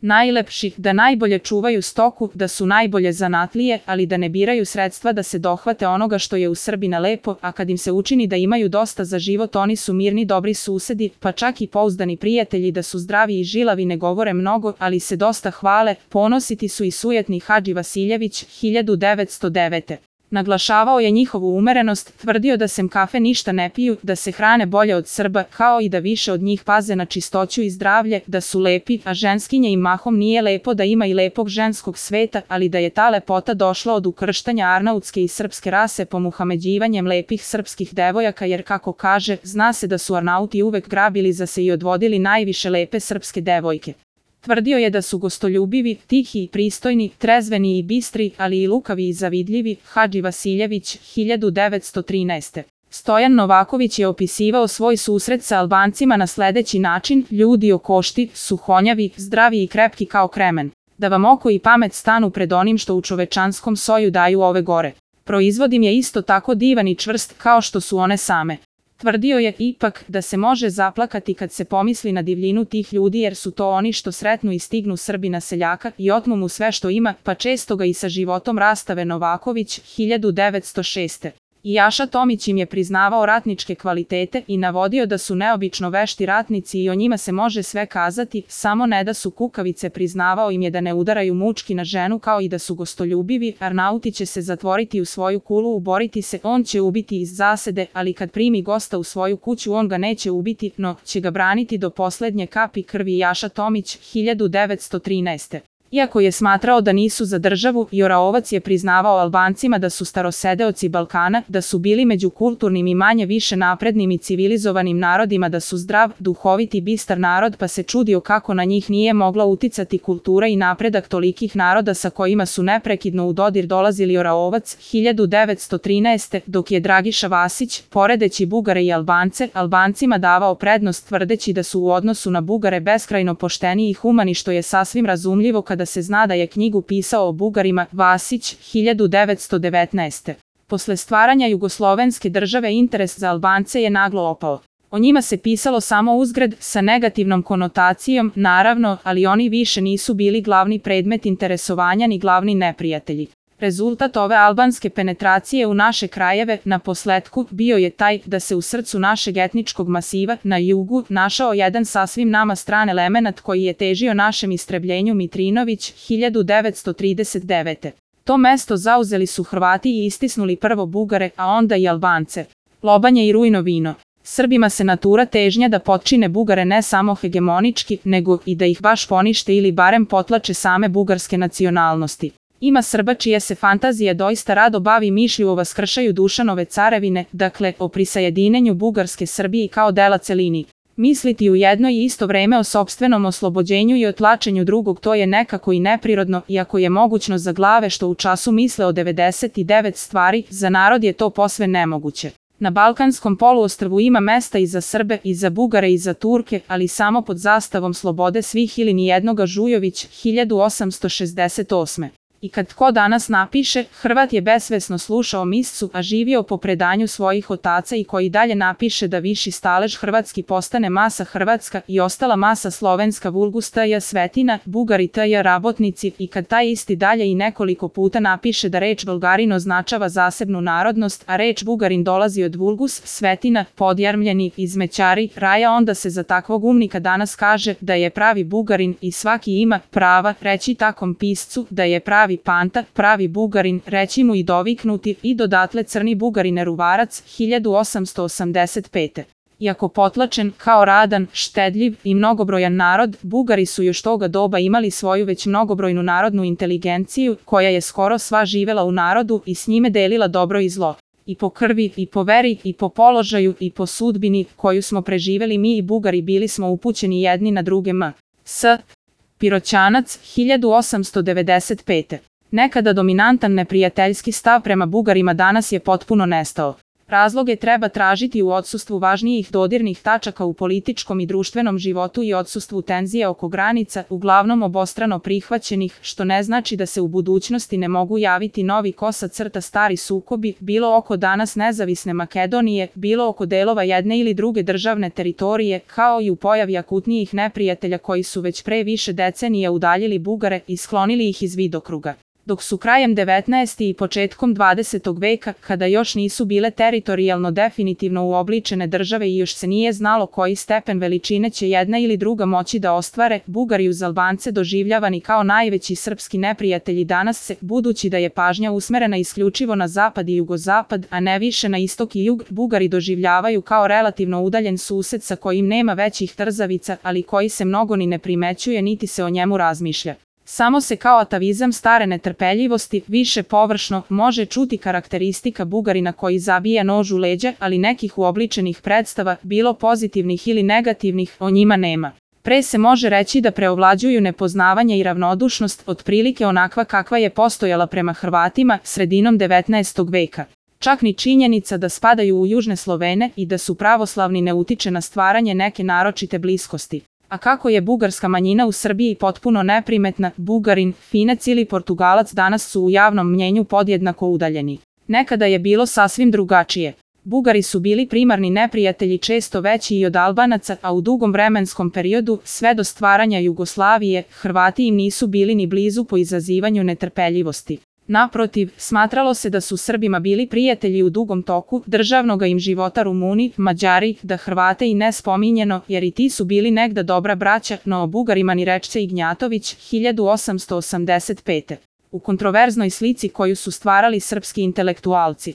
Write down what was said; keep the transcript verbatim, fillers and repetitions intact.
najlepši, da najbolje čuvaju stoku, da su najbolje zanatlije, ali da ne biraju sredstva da se dohvate onoga što je u Srbina lepo, a kad im se učini da imaju dosta za život, oni su mirni, dobri susedi, pa čak i pouzdani prijatelji, da su zdravi i žilavi, ne govore mnogo, ali se dosta hvale, ponositi su i sujetni Hadži Vasiljević, hiljadu devetsto devete. Naglašavao je njihovu umerenost, tvrdio da sem kafe ništa ne piju, da se hrane bolje od Srba, kao i da više od njih paze na čistoću i zdravlje, da su lepi, a ženskinje im mahom nije lepo, da ima i lepog ženskog sveta, ali da je ta lepota došla od ukrštanja arnautske i srpske rase pomuhameđivanjem lepih srpskih devojaka, jer kako kaže, zna se da su Arnauti uvek grabili za se i odvodili najviše lepe srpske devojke. Tvrdio je da su gostoljubivi, tihi i pristojni, trezveni i bistri, ali i lukavi i zavidljivi, Hadži Vasiljević, hiljadu devetsto trinaeste. Stojan Novaković je opisivao svoj susret sa Albancima na sledeći način: ljudi okošti, suhonjavi, zdravi i krepki kao kremen. Da vam oko i pamet stanu pred onim što u čovečanskom soju daju ove gore. Proizvodim je isto tako divan i čvrst kao što su one same. Tvrdio je, ipak, da se može zaplakati kad se pomisli na divljinu tih ljudi, jer su to oni što sretnu i stignu Srbina seljaka i otmu mu sve što ima, pa često ga i sa životom rastave. Novaković, hiljadu devetsto šeste. I Jaša Tomić im je priznavao ratničke kvalitete i navodio da su neobično vešti ratnici i o njima se može sve kazati, samo ne da su kukavice. Priznavao im je da ne udaraju mučki na ženu, kao i da su gostoljubivi. Arnauti će se zatvoriti u svoju kulu, uboriti se, on će ubiti iz zasede, ali kad primi gosta u svoju kuću on ga neće ubiti, no će ga braniti do poslednje kapi krvi. Jaša Tomić, hiljadu devetsto trinaeste. Iako je smatrao da nisu za državu, Joraovac je priznavao Albancima da su starosedeoci Balkana, da su bili među kulturnim i manje više naprednim i civilizovanim narodima, da su zdrav, duhovit i bistar narod, pa se čudio kako na njih nije mogla uticati kultura i napredak tolikih naroda sa kojima su neprekidno u dodir dolazili. Joraovac, hiljadu devetsto trinaeste. Dok je Dragiša Vasić, poredeći Bugare i Albance, Albancima davao prednost tvrdeći da su u odnosu na Bugare beskrajno pošteni i humani, što je sasvim razumljivo kada da se zna da je knjigu pisao o Bugarima. Vasić, hiljadu devetsto devetnaeste. Posle stvaranja jugoslovenske države interes za Albance je naglo opao. O njima se pisalo samo uzgred, sa negativnom konotacijom, naravno, ali oni više nisu bili glavni predmet interesovanja ni glavni neprijatelji. Rezultat ove albanske penetracije u naše krajeve, na posletku, bio je taj da se u srcu našeg etničkog masiva, na jugu, našao jedan sasvim nama stran elemenat koji je težio našem istrebljenju. Mitrinović, hiljadu devetsto trideset devete. To mesto zauzeli su Hrvati i istisnuli prvo Bugare, a onda i Albance. Lobanje i rujno vino. Srbima se natura težnja da potčine Bugare ne samo hegemonički, nego i da ih baš ponište ili barem potlače same bugarske nacionalnosti. Ima Srba čija se fantazija doista rado bavi mišlju o vaskršaju Dušanove carevine, dakle, o prisajedinjenju Bugarske Srbiji kao dela celini. Misliti u jedno i isto vreme o sopstvenom oslobođenju i otlačenju drugog, to je nekako i neprirodno, iako je mogućno za glave što u času misle o devedeset devet stvari, za narod je to posve nemoguće. Na Balkanskom poluostrvu ima mesta i za Srbe, i za Bugare, i za Turke, ali samo pod zastavom slobode svih ili nijednoga. Žujović, hiljadu osamsto šezdeset osme. I kad ko danas napiše, Hrvat je besvesno slušao miscu, a živio po predanju svojih otaca, i koji dalje napiše da viši stalež hrvatski postane masa hrvatska i ostala masa slovenska, vulgus tj. svetina, Bugari tj. rabotnici, i kad taj isti dalje i nekoliko puta napiše da reč Bulgarin označava zasebnu narodnost, a reč Bugarin dolazi od vulgus, svetina, podjarmljeni, izmećari, raja, onda se za takvog umnika danas kaže da je pravi Bugarin i svaki ima prava reći takom piscu da je pravi Panta, pravi Bugarin, reći mu i doviknuti, i dodatle crni Bugarine Ruvarac, hiljadu osamsto osamdeset pete. Iako potlačen, kao radan, štedljiv i mnogobrojan narod, Bugari su još toga doba imali svoju već mnogobrojnu narodnu inteligenciju, koja je skoro sva živela u narodu i s njime delila dobro i zlo. I po krvi, i po veri, i po položaju, i po sudbini, koju smo preživeli mi i Bugari, bili smo upućeni jedni na druge. M. S. Piroćanac, hiljadu osamsto devedeset pete. Nekada dominantan neprijateljski stav prema Bugarima danas je potpuno nestao. Razloge treba tražiti u odsustvu važnijih dodirnih tačaka u političkom i društvenom životu i odsustvu tenzije oko granica, uglavnom obostrano prihvaćenih, što ne znači da se u budućnosti ne mogu javiti novi kosa crta stari sukobi, bilo oko danas nezavisne Makedonije, bilo oko delova jedne ili druge državne teritorije, kao i u pojavi akutnijih neprijatelja koji su već pre više decenija udaljili Bugare i sklonili ih iz vidokruga. Dok su krajem devetnaestog i početkom dvadesetog veka, kada još nisu bile teritorijalno definitivno uobličene države i još se nije znalo koji stepen veličine će jedna ili druga moći da ostvare, Bugari uz Albance doživljavani kao najveći srpski neprijatelji danas se, budući da je pažnja usmerena isključivo na zapad i jugozapad, a ne više na istok i jug, Bugari doživljavaju kao relativno udaljen sused sa kojim nema većih trzavica, ali koji se mnogo ni ne primećuje niti se o njemu razmišlja. Samo se kao atavizam stare netrpeljivosti, više površno, može čuti karakteristika Bugarina koji zabija nož u leđa, ali nekih uobličenih predstava, bilo pozitivnih ili negativnih, o njima nema. Pre se može reći da preovlađuju nepoznavanje i ravnodušnost, otprilike onakva kakva je postojala prema Hrvatima sredinom devetnaestog veka. Čak ni činjenica da spadaju u južne Slovene i da su pravoslavni ne utiče na stvaranje neke naročite bliskosti. A kako je bugarska manjina u Srbiji potpuno neprimetna, Bugarin, Finac ili Portugalac danas su u javnom mnjenju podjednako udaljeni. Nekada je bilo sasvim drugačije. Bugari su bili primarni neprijatelji često veći i od Albanaca, a u dugom vremenskom periodu, sve do stvaranja Jugoslavije, Hrvati im nisu bili ni blizu po izazivanju netrpeljivosti. Naprotiv, smatralo se da su Srbima bili prijatelji u dugom toku državnoga im života Rumuni, Mađari, da Hrvate i ne spominjeno, jer i ti su bili negda dobra braća, no o Bugarima ni reče Ignjatović, hiljadu osamsto osamdeset pete. U kontroverznoj slici koju su stvarali srpski intelektualci.